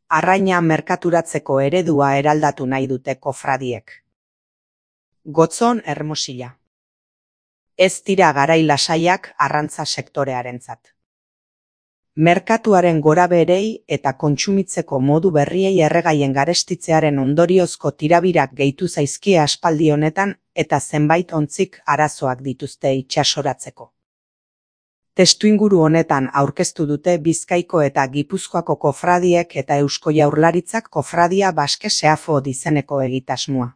Arraina merkaturatzeko eredua eraldatu nahi dute kofradiek. Gotzon Hermosilla. Ez dira garai lasaiak arrantza sektorearentzat. Merkatuaren gorabeherei eta kontsumitzeko modu berriei erregaien garestitzearen ondoriozko tirabirak gehitu zaizkie aspaldi honetan eta zenbait ontzik arazoak dituzte itsasoratzeko. Testuinguru honetan aurkeztu dute Bizkaiko eta Gipuzkoako kofradiek eta Eusko Jaurlaritzak Kofradia Baske Seafod izeneko egitasmoa.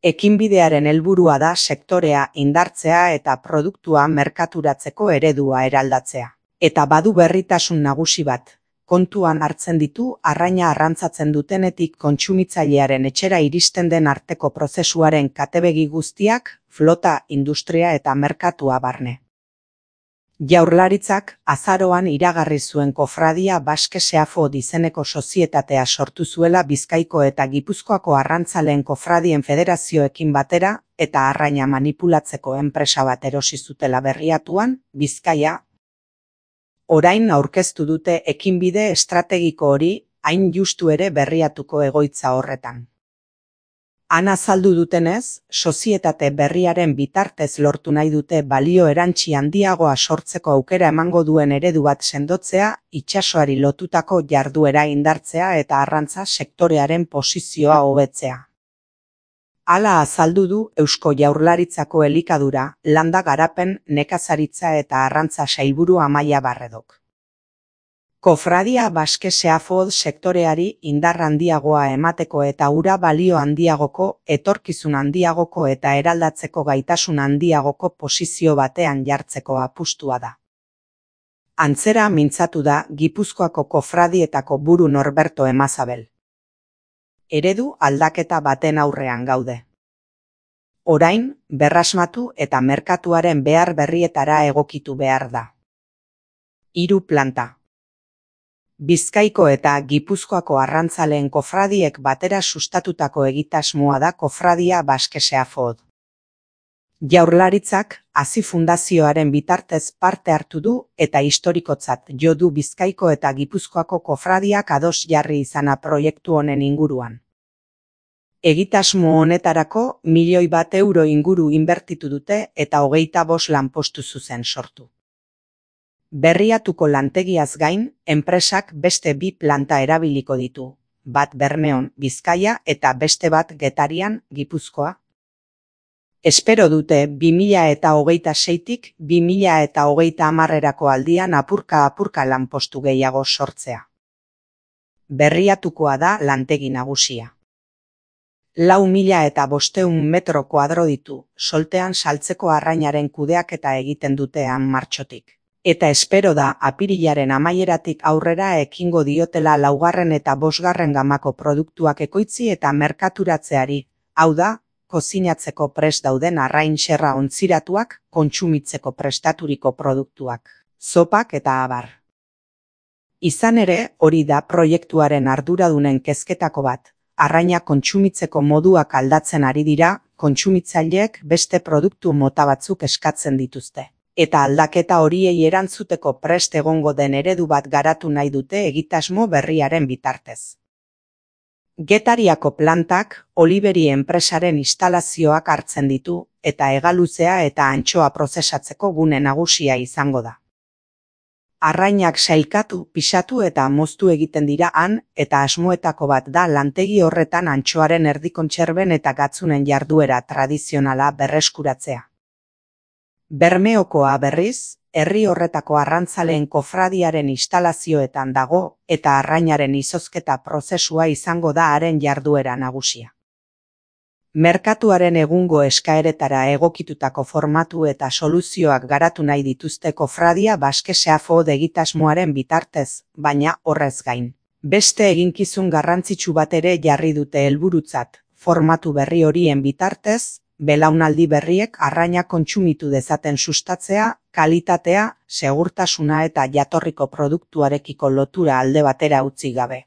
Ekinbidearen helburua da sektorea indartzea eta produktua merkaturatzeko eredua eraldatzea. Eta badu berritasun nagusi bat, kontuan hartzen ditu arraina arrantzatzen dutenetik kontsumitzailearen etxera iristen den arteko prozesuaren katebegi guztiak, flota, industria eta merkatua barne. Jaurlaritzak azaroan iragarri zuen Kofradia Baske Seafod izeneko sozietatea sortu zuela Bizkaiko eta Gipuzkoako arrantzaleen kofradien federazioekin batera eta arraina manipulatzeko enpresa bat erosi zutela berriatuan, Bizkaia. Orain aurkeztu dute ekinbide estrategiko hori, hain justu ere berriatuko egoitza horretan. Han azaldu dutenez, sozietate berriaren bitartez lortu nahi dute balio erantsi handiagoa sortzeko aukera emango duen eredu bat sendotzea, itsasoari lotutako jarduera indartzea eta arrantza sektorearen posizioa hobetzea. Hala azaldu du Eusko Jaurlaritzako elikadura, landa garapen, nekazaritza eta arrantza sailburu Amaia Barredok. Kofradia Baske Seafod sektoreari indar handiagoa emateko eta ura balio handiagoko, etorkizun handiagoko eta eraldatzeko gaitasun handiagoko posizio batean jartzeko apustua da. Antzera mintzatu da Gipuzkoako kofradietako buru Norberto Emazabel. Eredu aldaketa baten aurrean gaude. Orain, berrasmatu eta merkatuaren behar berrietara egokitu behar da. 3 planta. Bizkaiko eta Gipuzkoako arrantzaleen kofradiek batera sustatutako egitasmoa da Kofradia Baske Seafod. Jaurlaritzak Hazi Fundazioaren bitartez parte hartu du eta historikotzat jo du Bizkaiko eta Gipuzkoako kofradiak ados jarri izana proiektu honen inguruan. Egitasmo honetarako €1.000.000 inguru inbertitu dute eta 25 lanpostu zuzen sortu. Berriatuko lantegiaz gain, enpresak beste 2 planta erabiliko ditu, bat Bermeon, Bizkaia eta beste bat Getarian, Gipuzkoa. Espero dute 2026tik 2030erako aldian apurka lanpostu gehiago sortzea. Berriatukoa da lantegi nagusia. 4.500 metro kuadro ditu, soltean saltzeko arrainaren kudeaketa egiten dute han martxotik. Eta espero da apirilaren amaieratik aurrera ekingo diotela 4. eta 5. gamako produktuak ekoitzi eta merkaturatzeari, hau da, kozinatzeko prest dauden arrain xerra ontziratuak, kontsumitzeko prestaturiko produktuak, zopak eta abar. Izan ere, hori da proiektuaren arduradunen kezketako bat, arraina kontsumitzeko moduak aldatzen ari dira, kontsumitzaileek beste produktu mota batzuk eskatzen dituzte. Eta aldaketa horiei erantzuteko prest egongo den eredu bat garatu nahi dute egitasmo berriaren bitartez. Getariako plantak Oliveri enpresaren instalazioak hartzen ditu eta hegaluzea eta antxoa prozesatzeko gune nagusia izango da. Arrainak sailkatu, pisatu eta moztu egiten dira han eta asmoetako bat da lantegi horretan antxoaren erdikontserben eta gatzunen jarduera tradizionala berreskuratzea. Bermeokoa berriz, herri horretako arrantzaleen kofradiaren instalazioetan dago eta arrainaren izozketa prozesua izango da haren jarduera nagusia. Merkatuaren egungo eskaeretara egokitutako formatu eta soluzioak garatu nahi dituzte Kofradia Baske Seafod egitasmoaren bitartez, baina horrez gain. Beste eginkizun garrantzitsu bat ere jarri dute helburutzat, formatu berri horien bitartez, belaunaldi berriek arraina kontsumitu dezaten sustatzea, kalitatea, segurtasuna eta jatorriko produktuarekiko lotura alde batera utzi gabe.